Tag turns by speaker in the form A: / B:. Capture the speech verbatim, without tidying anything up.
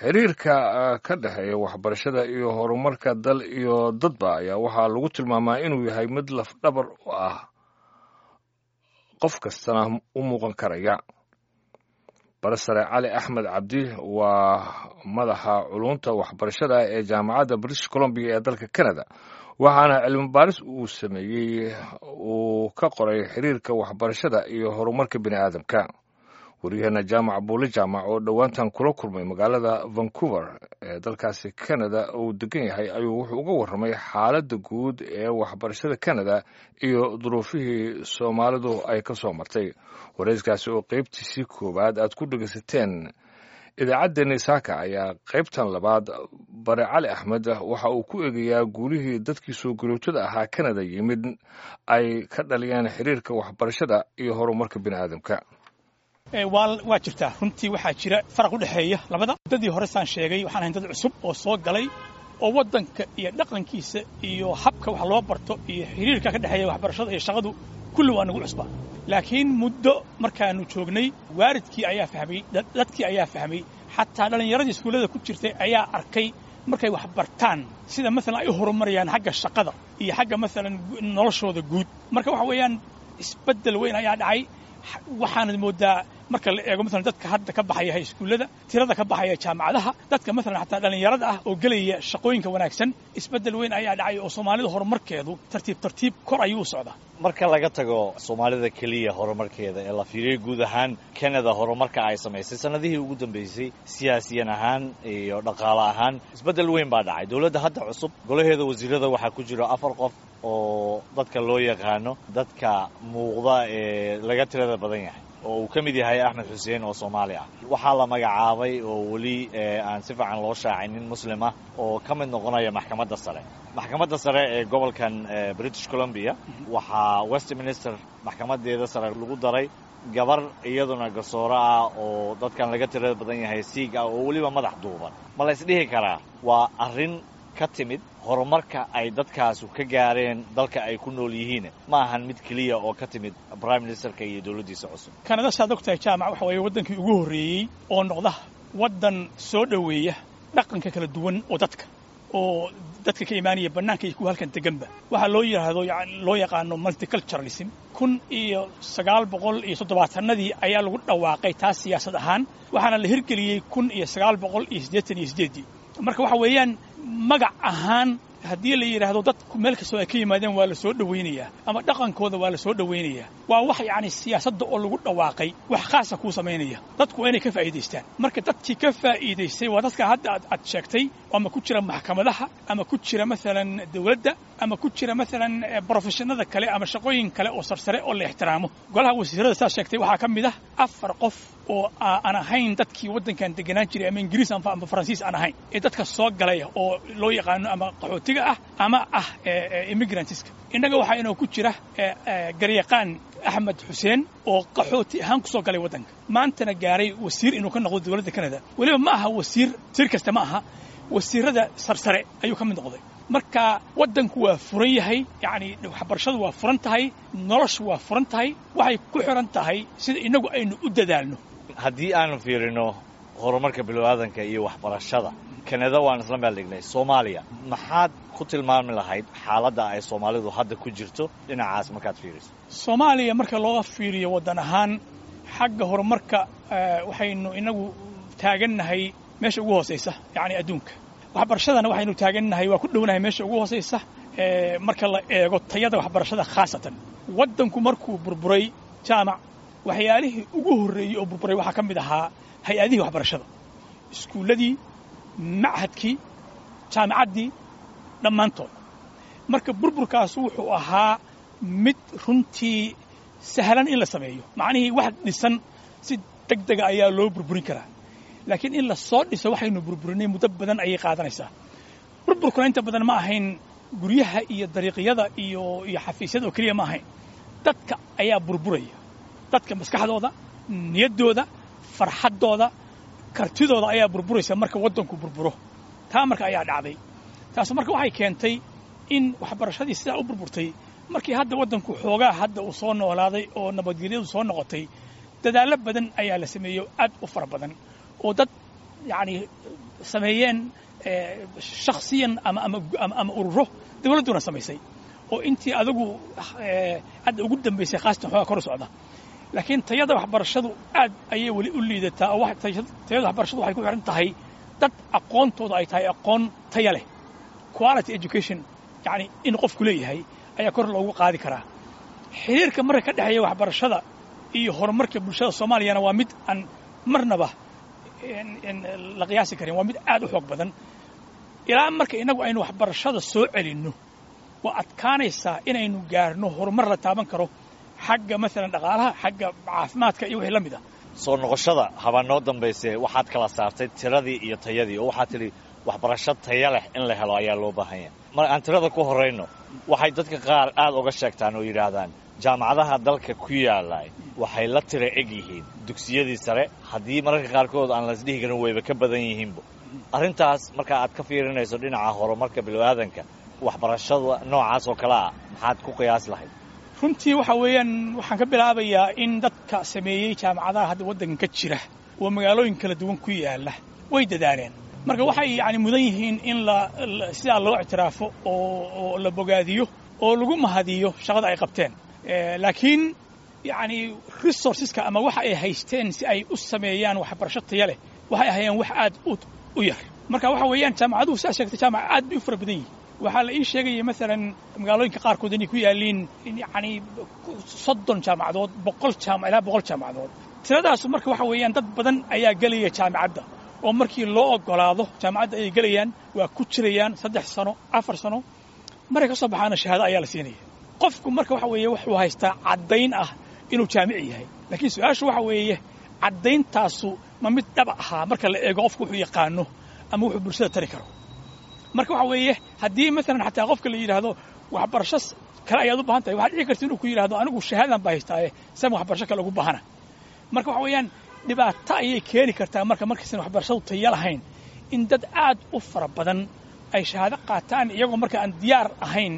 A: Xiriirka ka dhexeeya waxbarashada iyo horumarka dal iyo dadba ayaa waxaa lagu tilmaamaa inuu yahay mid lafdhabar u ah, qof kastana u muuqan karaya. Barasare Cali Axmed Cabdi waa madaxa culunta waxbarashada ee Jaamacadda British Columbia ee dalka Canada, waxaana cilmi baaris uu sameeyey uu ka qoray xiriirka waxbarashada iyo horumarka bini aadamka. Waryaheena Jaamac Buule Jaamac oo dhowaantan kula kulmay magaalada Vancouver ee dalkaasi Canada uu degan yahay ayuu wuxuu uga warramay xaaladda guud ee waxbarashada Canada iyo duruufihii Soomaalidu ay ka soo martay. Wareyskaasi oo qaybtiisii koowaad aad ku dhegaysateen idaacaddeenni saaka ayaa qaybtan labaad bare Cali Axmed waxa uu ku eegayaa guulihii dadkii soo galootada ahaa Canada yimid ay ka dhaliyeen xiriirka waxbarashada iyo horumarka bini aadamka.
B: Waa jirtaa, runtii waxaa jira faraq u dhexeeya labada. Muddadii hore, saan sheegay, waxaan ahayn dad cusub oo soo galay oo waddanka iyo dhaqankiisa iyo habka wax loo barto iyo xiriirka ka dhexeeya waxbarashada iyo shaqadu kulli waa nagu cusbaa. Laakiin muddo markaannu joognay, waalidkii ayaa fahmay, dadkii ayaa fahmay, xataa dhallinyaradii iskuullada ku jirtay ayaa arkay markay wax bartaan sida maalan ay u horumarayaan xagga shaqada iyo xagga maalan noloshooda guud. Marka waxa weeyaan isbeddel weyn ayaa dhacay. Waxaanad moodaa marka la eego maalan dadka hadda ka baxaya iskuullada, tirada ka baxaya jaamacadaha, dadka maalan xataa dhallinyarada ah oo gelaya shaqooyinka wanaagsan, isbeddel weyn ayaa dhacay oo Soomaalida horumarkeedu tartiib tartiib kor ayuu u socdaa.
C: Marka laga tago Soomaalida keliya horumarkeeda ee la fiiriyo, guud ahaan Canada horumarka ay samaysay sanadihii ugu dambeysay siyaasiyan ahaan iyo dhaqaale ahaan isbeddel weyn baa dhacay. Dowladda hadda cusub golaheeda wasiirada waxaa ku jiro afar qof oo dadka loo yaqaano dadka muuqda ee laga tirada badan yahay, oo uu ka mid yahay Axmed Xuseen oo Soomaali ah. Waxaa la magacaabay oo weli aan si fiican loo shaacin nin Muslim ah oo ka mid noqonaya maxkamadda sare maxkamadda sare ee gobolkan British Columbia. Waxaa Westminster maxkamadeeda sare lagu daray gabar iyaduna garsooro ah oo dadkan laga tirada badan yahay, Siig ah oo weliba madax duuban. Ma la isdhihi karaa waa arrin ka timid horumarka ay dadkaasu ka gaareen dalka ay ku nool yihiin, ma ahan mid keliya oo ka timid prime ministerka iyo dowladdiisa cusub?
B: Kanada, saad og tahay Jaamac, waxa weeye waddankii ugu horreeyey oo noqda waddan soo dhoweeya dhaqanka kala duwan oo dadka oo dadka ka imaanaya bannaanka iyo kuwa halkan deganba. Waxaa loo yidhaahdo, loo yaqaano multiculturalism, kun iyo sagaal boqol iyo toddobaatanadii ayaa lagu dhawaaqay taas siyaasad ahaan, waxaana la hirgeliyey kun iyo sagaal boqol iyo siddeetan iyo siddeeddii. Marka waxa weeyaan magac ahaan haddii la yidhaahdo dadku meel kastoo ay ka yimaadeen waa la soo dhowaynayaa ama dhaqankooda waa la soo dhowaynayaa, waa wax yacni siyaasadda oo lagu dhawaaqay wax khaasa kuu samaynaya. Dadku waa inay ka faa'iidaystaan. Marka dadkii ka faa'iidaystay waa dadka hadda aad aad sheegtay, ama ku jira maxkamadaha ama ku jira maalan dawladda ama ku jira maalan professionada kale ama shaqooyin kale oo sarsare oo la ixtiraamo. Golaha wasiirada, saad sheegtay, waxaa ka mid ah afar qof oo aan ahayn dadkii waddankan deganaan jiray, ama Ingiriis ama Faransiis aan ahayn, ee dadka soo galaya oo loo yaqaano ama qaxootiga ah ama ah immigrantska. Innaga waxaa inoo ku jira garyaqaan Axmed Xuseen oo qaxooti ahaan ku soo galay waddanka, maantana gaaray wasiir inuu ka noqdo dowladda Canada. Weliba ma aha wasiir wasiir kasta ma aha, wasiirada sarsare ayuu ka mid noqday. Marka waddanku waa furan yahay, yacni waxbarashadu waa furan tahay, noloshu waa furan tahay, waxay ku xiran tahay sida innagu aynu u dadaalno.
C: Haddii aanu fiirino horumarka bilowaadanka iyo waxbarashada Kanada, waan isla meel dhignay Soomaaliya. Maxaad ku tilmaami lahayd xaaladda ay Soomaalidu hadda ku jirto dhinacaas markaad fiiriso?
B: Soomaaliya marka looga fiiriyo waddan ahaan xagga horumarka, waxaynu inagu taagannahay meesha ugu hoosaysa yacni adduunka. Waxbarashadana waxaynu taagannahay, waa ku dhownahay meesha ugu hoosaysa marka la eego tayada waxbarashada khaasatan. Waddanku markuu burburay, Jaamac, waxyaalihii ugu horreeyey oo burburay waxaa ka mid ahaa hay-adihii waxbarashada, iskuulladii, machadkii, jaamacaddii, dhammaantood. Marka burburkaas wuxuu ahaa mid runtii sahlan in la sameeyo, macnihii wax dhisan si deg dega ayaa loo burburin karaa, laakiin in la soo dhiso waxaynu burburinay muddo badan ayay qaadanaysaa. Burburkuna inta badan ma ahayn guryaha iyo dariiqyada iyo iyo xafiisyada oo keliya ma ahayn, dadka ayaa burburaya. Dadka maskaxdooda, niyaddooda, farxaddooda, kartidooda ayaa burburaysa marka waddanku burburo. Taa marka ayaa dhacday. Taas marka waxay keentay in waxbarashadii sidaa u burburtay. Markii hadda waddanku xoogaa hadda uu soo noolaaday oo nabadgelyadu soo noqotay, dadaallo badan ayaa la sameeyey, aad u fara badan, oo dad yacni sameeyeen shakhsiyan ama ama ama ururo dawladduna samaysay oo intii adigu hadda ugu dambaysay khaasatan xoogaa kor u socda. Laakiin tayada waxbarashadu aad ayay weli u liidataa oo tayada waxbarashadu waxay ku xiran tahay dad aqoontooda ay tahay aqoon taya leh, quality education, yacni in qofku leeyahay ayaa kor loogu qaadi karaa. Xiriirka marka ka dhexeeya waxbarashada iyo horumarka bulshada Soomaaliyana waa mid aan marnaba la qiyaasi karin, waa mid aad u xoog badan. Ilaa marka innagu aynu waxbarashada soo celinno, waa adkaanaysaa inaynu gaarno horumar la taaban karo xagga maalan dhaqaalaha, xagga caafimaadka iyo wixii la mid ah.
C: Soo noqoshada habaa noo dambayse waxaad kala saartay tiradii iyo tayadii, oo waxaad tidhi waxbarasho taya leh in la helo ayaa loo baahan yahay. Mar aan tirada ku horrayno, waxay dadka qaar aad uga sheegtaan oo yidhaahdaan jaamacadaha dalka ku yaallay waxay la tira eg yihiin dugsiyadii sare, haddii mararka qaarkood aan laisdhihi karin wayba ka badan yihiinba. Arrintaas marka aad ka fiirinayso dhinaca horumarka bilowaadanka, waxbarashada noocaas oo kale ah maxaad ku qiyaasi lahayd?
B: Runtii waxa weeyaan, waxaan ka bilaabayaa in dadka sameeyey jaamacadaha hadda waddankan ka jira oo magaalooyin kala duwan ku yaalla way dadaaleen. Marka waxay yacni mudan yihiin in la sidaa loo ictiraafo oo oo la bogaadiyo oo lagu mahadiyo shaqada ay qabteen. Laakiin yacni resourceska ama waxa ay haysteen si ay u sameeyaan waxbarasho taya leh waxay ahayeen wax aad u u yar. Marka waxa weeyaan, jaamacaduhu, sidaa sheegtay, jaamaca aad bay u fara badan yihiin. Waxaa la ii sheegaya maalan magaalooyinka qaarkood inay ku yaalliin yacni soddon jaamacadood, boqol jaamac, ilaa boqol jaamacadood. Tiradaasu marka waxa weeyaan dad badan ayaa gelaya jaamacadda, oo markii loo ogolaado jaamacadda ayay gelayaan, waa ku jirayaan saddex sano, afar sano, markay ka soo baxaana shahaado ayaa la siinaya qofku. Marka waxa weeye wuxuu haystaa caddayn ah inuu jaamici yahay, laakiin su-aashu waxa weeye caddayntaasu ma mid dhab ahaa marka la eego qofku wuxuu yaqaano ama wuxuu bulshada tari karo? Marka waxa weeye haddii maalan xataa qofka la yidhaahdo waxbarasho kale ayaad u baahan tahay, waxaad dhici karta inuu ku yidhahdo anigu shahaadan baa haystaaye, sam waxbarasho kale ugu baahana. Marka waxa weeyaan dhibaato ayay keeni kartaa marka markaysan waxbarashadu tayo lahayn in dad aad u fara badan ay shahaado qaataan iyagoo marka aan diyaar ahayn.